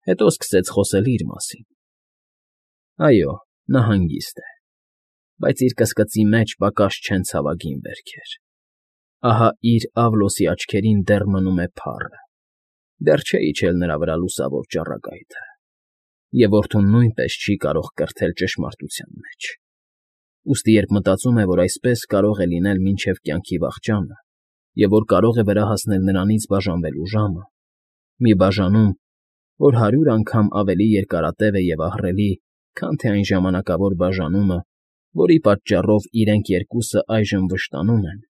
Հետո սկսեց խոսել իր մասին. այո, նա հանգիստ է, բայց իր կսկծի մեջ պակաս չեն ցավագին վերքեր. ահա իր Ավլոսի աչքերին դեռ մնում է փառը, դեռ չէ իջել նրա վրա լուսավոր ճառագայթը, և որդուն նույնպես չի կարող կրթել ճշմարտության մեջ. ուստի երբ մտածում է, որ այսպես կարող է լինել մինչև կյանքի վախճանը, և որ կարող է վրա հասնել նրանից բաժանվելու ժամը, մի բաժանում, որ 100 անգամ ավելի երկարատև է և ահռելի, քան թե այն ժամանակավոր բաժանումը, որի պատճառով իրենք երկուսը այժմ վշտանում են,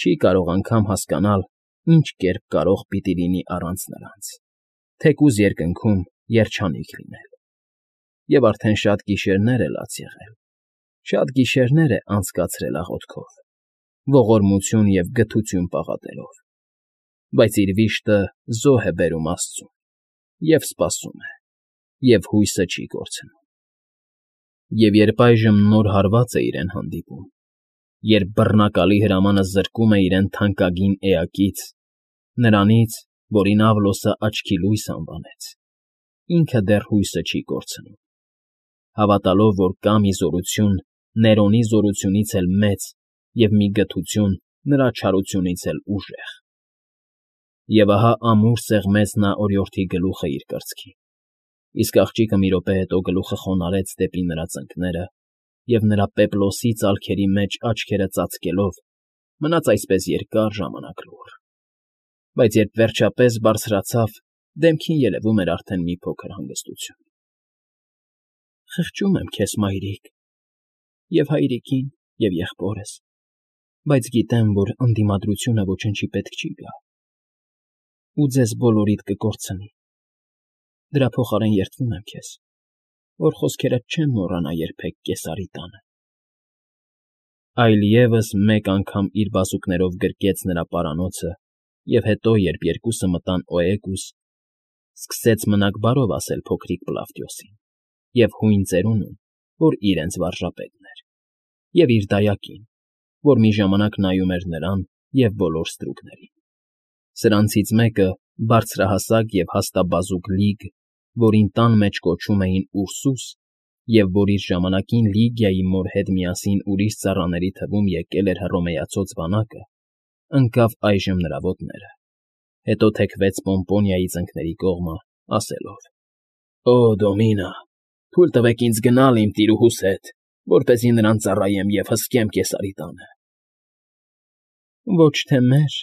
չի կարող անգամ հասկանալ, ինչ կերպ կարող պիտի լինի առանց նրանց, թեկուզ երկնքում երջանիկ լինել. և արդեն շատ գիշերներ է լաց եղել, շատ գիշերներ է անցկացրել աղոթքով, ողորմություն և գթություն պաղատելով, բայց իր վիշտը զոհ է բերում աստծուն, և սպասում է, և հույսը չի կորցնում. և երբ այժմ նոր հարված է իրեն հանդիպում, երբ բռնակալի հրամանը զրկում է իրեն թանկագին էակից, նրանից, որին Ավլոսը աչքի լույս անվանեց, ինքը դեռ հույսը չի կորցնում, հավատալով, որ կա մի զորություն Ներոնի զորությունից էլ մեծ և մի գթություն նրա չարությունից էլ ուժեղ. և ահա ամուր սեղմեց նա օրիորդի գլուխը իր կրծքին, իսկ աղջիկը մի րոպե հետո գլուխը խոնարհեց դեպի նրա ծնկները և նրա պեպլոսի ծալքերի մեջ աչքերը ծածկելով, մնաց այսպես երկար ժամանակ լուռ, բայց երբ վերջապես բարձրացավ, դեմքին երևում էր արդեն մի փոքր հանգստություն։ ֊ Խղճում եմ քեզ, մայրիկ, և հայրիկին, և եղբորս, բայց գիտեմ, որ ընդդիմադրությունը ոչնչի պետք չի գա, ու ձեզ բոլորիդ կկորցնի, դրա փոխարեն երդվում եմ քեզ, որ խոսքերդ չեն մոռանա երբեք Կեսարի տանը։ Այլևս մեկ անգամ իր բազուկներով գրկեց նրա պարանոցը և հետո, երբ երկուսը մտան Օեգուս, սկսեց մնաք բարով ասել փոքրիկ Պլավդիոսին և հույն ծերունուն, որ իրենց վարժապետն էր, և իր դայակին, որ մի ժամանակ նայում էր նրան և բոլոր ստրուկներին. սրանցից մեկը բարձրահասակ և հաստաբազուկ լիգ, որին տան մեջ կոչում էին Ուրսուս, և որ իր ժամանակին Լիգիայի մոր հետ միասին ուրիշ ծառաների թվում եկել էր Հռոմեացուց բանակը, ընկավ այժմ նրա ոտները, հետո թեքվեց Պոմպոնիայի ծնկների կողմը, ասելով. «Օ, Դոմինա, թույլ տվեք ինձ գնալ իմ տիրուհուս հետ, որպեսզի նրան ծառայեմ և հսկեմ Կեսարի տանը»։ «Ոչ թե մեր,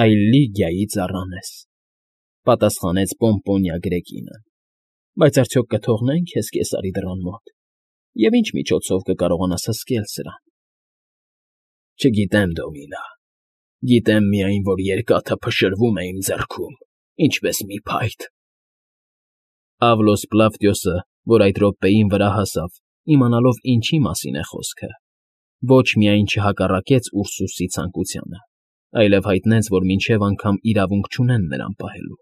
այլ Լիգիայի ծառան ես», պատասխանեց Պոմպոնիա Գրեկինը, «բայց արդյոք կթողնե՞ն քեզ Կեսարի դռան մոտ, և ինչ միջոցով կկարողանաս հսկել սրան»։ «Չգիտեմ, Դոմինա, գիտեմ միայն, որ երկաթը փշրվում է իմ ձեռքում, ինչպես մի փայտ»։ Ավլոս Պլավդիոսը, որ այդ րոպեին վրա հասավ, իմանալով ինչի մասին է խոսքը, ոչ միայն չհակառակեց Ուրսուսի ցանկությանը, այլև հայտնեց, որ մինչև անգամ իրավունք չունեն նրան պահելու,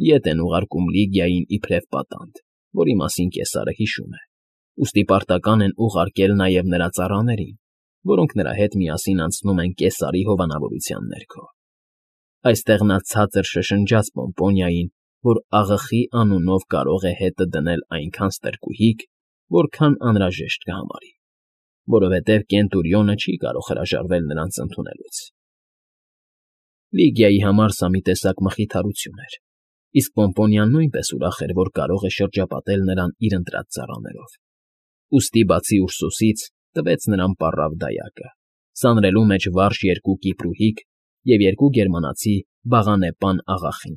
ետ են ուղարկում Լիգիային իբրև պատանդ, որի մասին կեսարը հիշում է, ուստի պարտական են ուղարկել նաև նրա ծառաներին, որոնք նրա հետ միասին անցնում են Կեսարի հովանավորության ներքո։ Այստեղ նա ցածր շշնջաց Պոմպոնիային, որ աղախի անունով կարող է հետը դնել այնքան ստրկուհիկ, որքան անհրաժեշտ կհամարի, որովհետև Կենտուրիոնը չի կարող հրաժարվել նրանց ընդունելուց։ Լիգիայի համար սա մի տեսակ մխիթարություն էր, իսկ Պոմպոնիան նույնպես ուրախ էր, որ կարող է շրջապատել նրան իր ընտրած ծառաներով։ Ուստի բացի Ուրսուսից տվեց նրան պառավ դայակը, սանրելու մեջ վարժ 2 կիպրուհիկ և 2 գերմանացի բաղանեպան աղախին։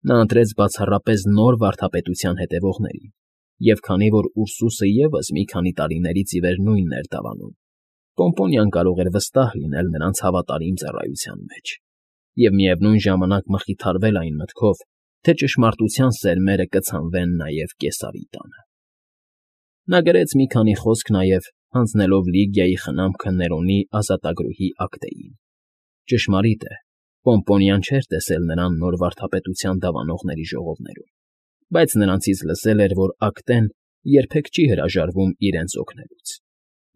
Նա ընտրեց բացառապես նոր վարդապետության հետևողներին, և քանի որ Ուրսուսը ևս մի քանի տարիներից ի վեր նույնն էր դավանում, Պոմպոնիան կարող էր վստահ լինել նրանց հավատարիմ ծառայության մեջ և միևնույն ժամանակ մխիթարվել այն մտքով, թե ճշմարտության սերմերը կցանվեն նաև Կեսարի տանը։ Նա գրեց մի քանի խոսք նաև հանձնելով Լիգիայի խնամքը Ներոնի ազատագրուհի Ակտեին։ Ճշմարիտ է, Պոմպոնիան չէր տեսել նրան նոր վարդապետության դավանողների ժողովներում, բայց նրանցից լսել էր, որ Ակտեն երբեք չի հրաժարվում իրենց օգնելուց,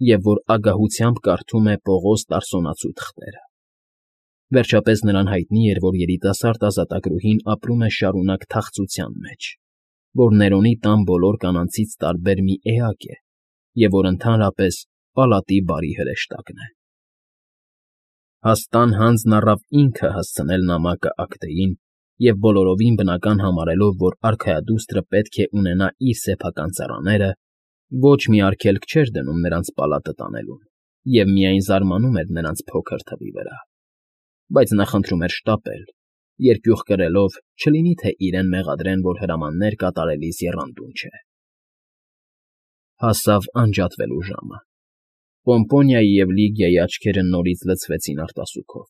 և որ ագահությամբ կարդում է Պողոս Տարսոնացու թղթերը։ Վերջապես նրան հայտնի էր, որ երիտասարդ ազատագրուհին ապրում է շարունակ թախծության մեջ, որ Ներոնի տան բոլոր կանանցից տարբեր մի էակ է և որ ընդհանրապես պալատի բարի հրեշտակն է։ Հաստ հանձն առավ ինքը հասցնել նամակը Ակտեին և բոլորովին բնական համարելով, որ արքայադուստրը պետք է ունենա իր սեփական ծառաները, ոչ մի արգելք չէր դնում նրանց պալատը տանելուն և միայն զարմանում էր նրանց փոքր թվի վրա, բայց նա խնդրում էր շտապել, երկյուղ կրելով, չլինի թե իրեն մեղադրեն, որ հրամաններ կատարելիս եռանդուն չէ։ Հասավ անջատվելու ժամը։ Պոմպոնիայի և Լիգիայի աչքերը նորից լցվեցին արտասուքով։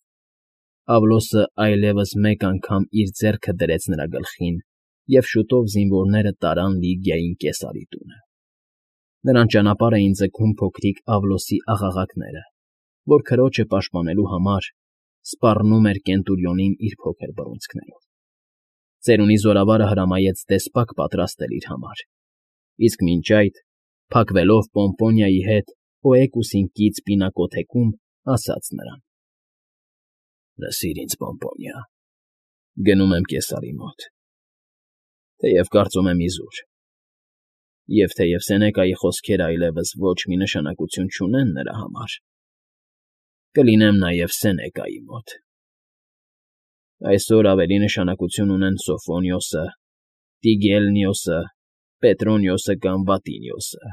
Ավլոսը այլևս մեկ անգամ իր ձեռքը դրեց նրա գլխին, և շուտով զինվորները տարան Լիգիային կեսարի տունը։ Նրան ճանապարհ էին ձգում փոքրիկ Ավլոսի աղաղակները, որ քրոջը պաշտպանելու համար սպառնում էր Կենտուրիոնին իր փոքր բռունցքներով։ Ծերունի զորավարը հրամայեց դեսպակ պատրաստել իր համար, իսկ մինչ այդ, փակվելով Պոմպոնիայի հետ Օեկուսին կից պինակոթեկում, ասաց նրան. «Լսիր ինձ, Պոմպոնիա, գնում եմ կեսարի մոտ, թեև կարծում եմ իզուր, և թեև Սենեկայի խոսքերը այլևս ոչ մի նշանակություն չունեն նրա համար, կլինեմ նաև Սենեկայի մոտ։ Այսօր ավելի նշանակություն ունեն Սոֆոնիոսը, Տիգելնիոսը, Պետրոնիոսը կամ Վատինիոսը։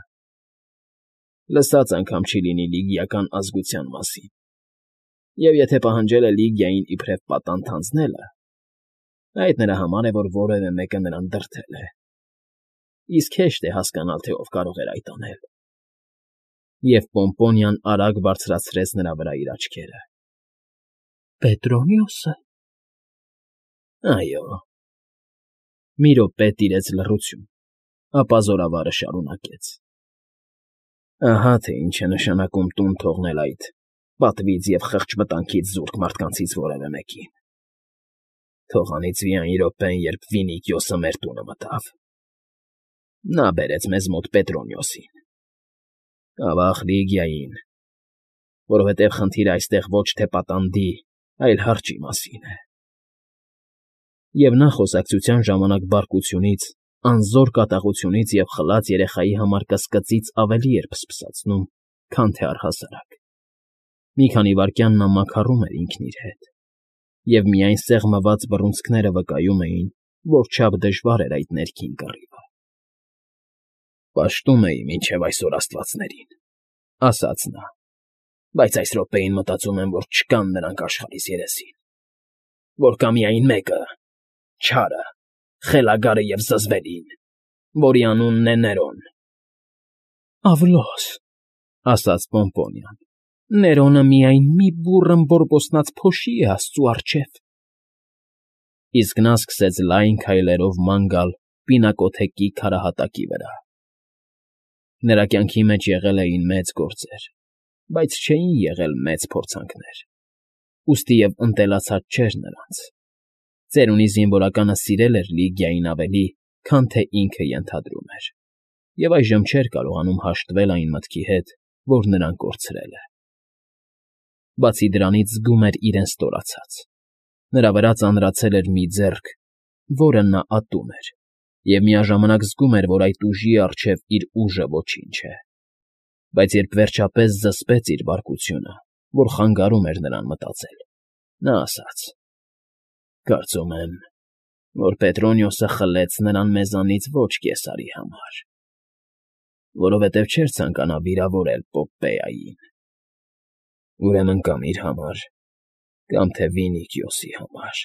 Լսած անգամ չի լինի լիգիական ազգության մասին, և եթե պահանջել է Լիգիային իբրև պատանդ հանձնելը, այդ նրա համար է, որ որևէ մեկը նրան դրդել է, իսկ հեշտ է հասկանալ, թե ով կարող էր այդ անել»։ Եվ Պոմպոնիան արագ բարձրացրեց նրա վրա իր աչքերը։ «Պետրոնիոսը»։ Այո։ Մի րոպե տիրեց լռություն, ապա զորավարը շարունակեց. «Ահա թե ինչ է նշանակում տուն թողնել այդ պատվից և խղճվտանգից զուրկ մարդկանցից որևէ մեկին։ Թող անիծվի այն րոպեն, երբ Վինիքիոսը մեր տունը մտավ։ Նա բերեց մեզ մոտ Պետրոնիոսին, ավաղ Լիգիային, որովհետև խնդիրը այստեղ ոչ թե պատանդի, այլ հարճի մասին է»։ Եվ նա խոսակցության ժամանակ բարկությունից, անզոր կատաղությունից և խլած երեխայի համար կսկծից ավելի էր փսփսացնում, քան թե առհասարակ։ Մի քանի վայրկյան նա մաքարում էր ինքն իր հետ, և միայն սեղմված բռունցքները վկայում էին, որչափ դժվար էր այդ ներքին կռիվը։ «Պաշտում էի մինչև այսօր աստվածներին», ֊ ասաց նա, «բայց այս րոպեին մտածում եմ, որ չկան նրանք աշխարհիս երեսին, որ կա միայն մեկը՝ չարը, խելագարը և զզվելին, որի անունն է Ներոն»։ «Ավլոս», ֊ ասաց Պոմպոնիան, «Ներոնը միայն մի բուռն բորբոսնած փոշի է աստծու առջև»։ Իսկ նա սկսեց լայն քայլերով ման գալ պինակոթեկի քարահատակի վրա։ Նրա կյանքի մեջ եղել էին մեծ գործեր, բայց չէին եղել մեծ փորձանքներ, ուստի և ընտելացած չէր նրանց։ Ծերունի զինվորականը սիրել էր Լիգիային ավելի, քան թե ինքը ենթադրում էր, և այժմ չէր կարողանում հաշտվել այն մտքի հետ, որ նրան կորցրել է։ Բացի դրանից զգում էր իրեն ստորացած։ Նրա վրա ծանրացել էր մի ձեռք, որը նա ատում էր, և միաժամանակ զգում էր, որ այդ ուժի առջև իր ուժը ոչինչ է։ Բայց երբ վերջապես զսպեց իր բարկությունը, որ խանգարում էր նրան մտածել, նա ասաց. «Կարծում եմ, որ Պետրոնիոսը խլեց նրան մեզանից ոչ կեսարի համար, որովհետև չէր ցանկանա վիրավորել Պոպպեային։ Ուրեմն կամ իր համար, կամ թե Վինիքիոսի համար։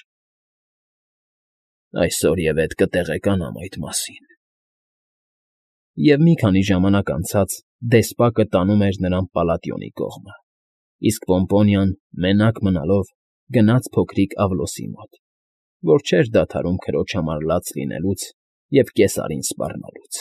Այսօր և ետ կտեղեկանամ այդ մասին»։ Եվ մի քանի ժամանակ անցած դեսպակը տանում էր նրան Պալատիոնի կողմը, իսկ Պոմպոնիան, մենակ մնալով, գնաց փոքրիկ Ավլոսի մոտ, որ չէր դադարում քրոջ համար լաց լինելուց և կեսարին սպառնալուց։